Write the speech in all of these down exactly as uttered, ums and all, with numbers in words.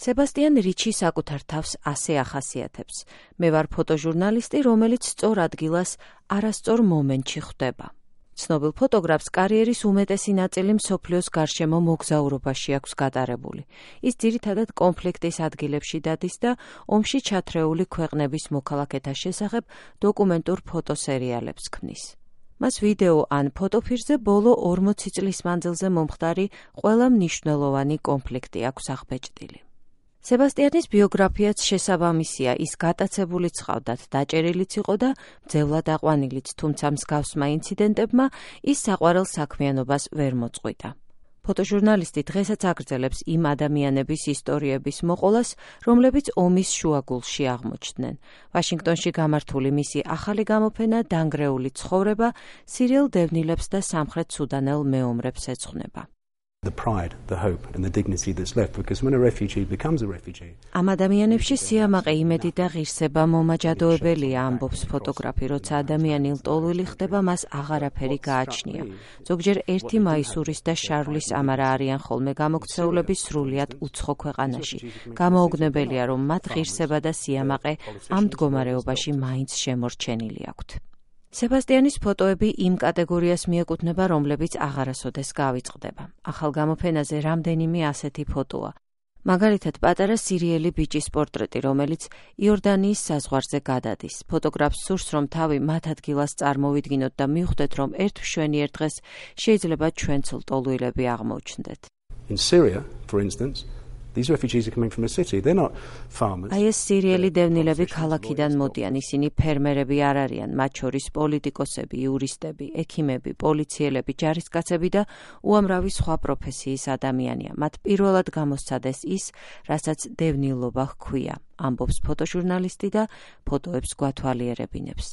სებასტიან რიჩი საკუთარ თავს ასე ახასიათებს. მე ვარ ფოტოჟურნალისტი, რომელიც სწორ ადგილას არასწორ მომენტში ხვდება. ცნობილ ფოტოგრაფს კარიერის უმეტესი ნაწილი მსოფლიოს გარშემო მოგზაურობაში აქვს გატარებული. ის ძირითადად კონფლიქტის ადგილებში დადის და ომში ჩათრეული ქვეყნების მოქალაქეთა შესახებ დოკუმენტურ ფოტოსერიალებს ქმნის. მას ვიდეო ან ფოტოფირზე ბოლო ორმოცი წლის მანძილზე მომხდარი ყველა მნიშვნელოვანი კონფლიქტი აქვს აღბეჭდილი. სებასტიანის ბიოგრაფიაც შესაბამისია, ის გატაცებულიც ჰყავდათ, დაჭერილიც იყო და მძევლად აყვანილიც, თუმცა მსგავსმა ინციდენტებმა ის საყვარელ საქმიანობას ვერ მოწყვიტა. ფოტოჟურნალისტი დღესაც აგრძელებს იმ ადამიანების ისტორიების მოყოლას, რომლებიც ომის შუაგულში აღმოჩნდნენ. ვაშინგტონში გამართული მისი ახალი გამოფენა „დანგრეული ცხოვრება“ სირიელ დევნილებს და სამხრეთ სუდანელ მეომრებს ეძღვნება. The pride, the hope and the dignity that's left because when a refugee becomes a refugee. ამ ადამიანებში სიამაყე, იმედი და ღირსება მომაჯადოებელია, ამბობს ფოტოგრაფი, როცა ადამიანი ლტოლვილი ხდება, მას აღარაფერი გააჩნია. ზოგჯერ ერთი მაისურის და შარვლის ამარა არიან ხოლმე გამოქცეულები სრულიად უცხო ქვეყანაში. გამოუგნებელია, რომ მათ ღირსება და სიამაყე ამ მდგომარეობაში მაინც შემორჩენილი აქვთ. სებასტიანის ფოტოები იმ კატეგორიას მიეკუთვნება, რომლებიც აღარასოდეს გავიწყდება. ახალ გამოფენაზე რამდენიმე ასეთი ფოტოა. მაგალითად, პატარა სირიელი ბიჭის პორტრეტი, რომელიც იორდანიის საზღვარზე გადადის. ფოტოგრაფს სურს, რომ თავი მათ ადგილას წარმოვიდგინოთ და მივხვდეთ, რომ ერთ მშვენიერ დღეს შეიძლება ჩვენც ლტოლვილები აღმოჩნდეთ. In Syria, for instance, these refugees are coming from a city. They're not farmers. აი ეს სირიელი დევნილები ქალაქიდან მოდიან, ისინი ფერმერები არ არიან, მათ შორის პოლიტიკოსები, იურისტები, ექიმები, პოლიციელები, ჯარისკაცები და უამრავი სხვა პროფესიის ადამიანია. მათ პირველად გამოსცადეს ის, რასაც დევნილობა ჰქვია, ამბობს ფოტოჟურნალისტი და ფოტოებს გვათვალიერებინებს.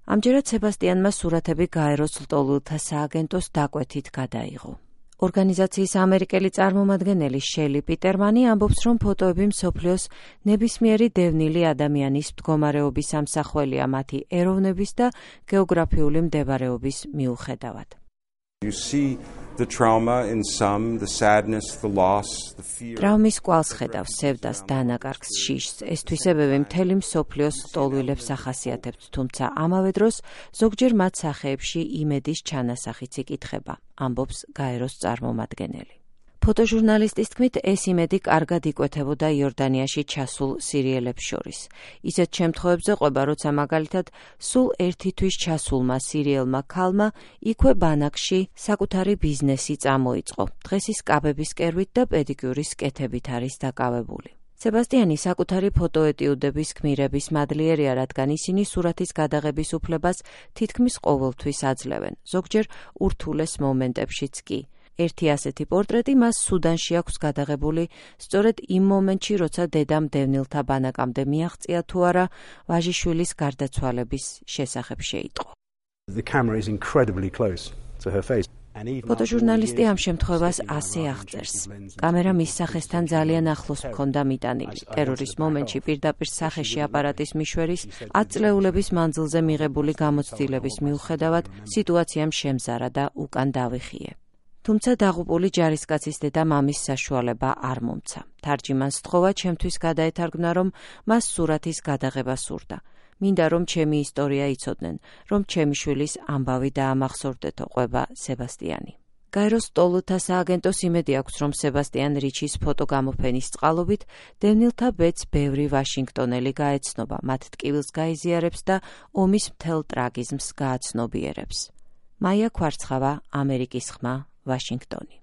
ამჯერად სებასტიანმა სურათები გაეროს ლტოლვილთა სააგენტოს დაკვეთით გადაიღო. ორგანიზაციის ამერიკელი წარმომადგენელი შელი პიტერმანი ამბობს, რომ ფოტოები მსოფლიოს ნებისმიერი დევნილი ადამიანის მდგომარეობის ამსახველია მათი ეროვნების და გეოგრაფიული მდებარეობის მიუხედავად. You see the trauma in some, the sadness, the loss, the fear. Ტრაუმის კვალს ხედავს, სევდას, დანაკარგს, შიშს. ეს თვისებები მთელი მსოფლიოს ლტოლვილებს ახასიათებთ, თუმცა ამავე დროს ზოგჯერ მათ სახეებში იმედის ჩანასახიც იკითხება, ამბობს გაეროს წარმომადგენელი. ფოტოჟურნალისტის თქმით, ეს იმედი კარგად იკვეთებოდა იორდანიაში ჩასულ სირიელებს შორის. ისეთ შემთხვევებზე ყვება, როცა მაგალითად სულ ერთი თვის ჩასულმა სირიელმა ქალმა იქვე ბანაკში საკუთარი ბიზნესი წამოიწყო. დღეს ის კაბების კერვით და პედიკიურის კეთებით არის დაკავებული. სებასტიანი საკუთარი ფოტოეტიუდების გმირების მადლიერია, რადგან ისინი სურათის გადაღების უფლებას თითქმის ყოველთვის აძლევენ, ზოგჯერ ურთულეს მომენტებშიც კი. ერთი ასეთი პორტრეტი მას სუდანში აქვს გადაღებული სწორედ იმ მომენტში, როცა დედამ დევნილთა ბანაკამდე მიაღწია თუ არა ვაჟიშვილის გარდაცვალების შესახებ შეიტყო. The camera is incredibly close to her face. ფოტოჟურნალისტი ამ შემთხვევას ასე აღწერს. კამერა მის სახესთან ძალიან ახლოს მქონდა მიტანილი. ტერორის მომენტში პირდაპირ სახეში აპარატის მიშვერის ათწლეულების მანძილზე მიღებული გამოცდილების მიუხედავად სიტუაციამ შემზარა და უკან დავიხიე. თუმცა დაღუპული ჯარისკაცის დედა მამის საშუალება არ მომცა. თარჯიმანს სთხოვა ჩემთვის გადაეთარგმნა, რომ მას სურათის გადაღება სურდა. მინდა რომ ჩემი ისტორია იცოდნენ, რომ ჩემი შვილის ამბავი დაამახსოვრდეთო, ყვება სებასტიანი. გაეროს ლტოლვილთა სააგენტოს იმედი აქვს, რომ სებასტიან რიჩის ფოტოგამოფენის წყალობით დევნილთა ბედს ბევრი ვაშინგტონელი გაეცნობა, მათ ტკივილს გაიზიარებს და ომის მთელ ტრაგიზმს გააცნობიერებს. მაია ქვარცხავა, ამერიკის ხმა, ვაშინგტონი.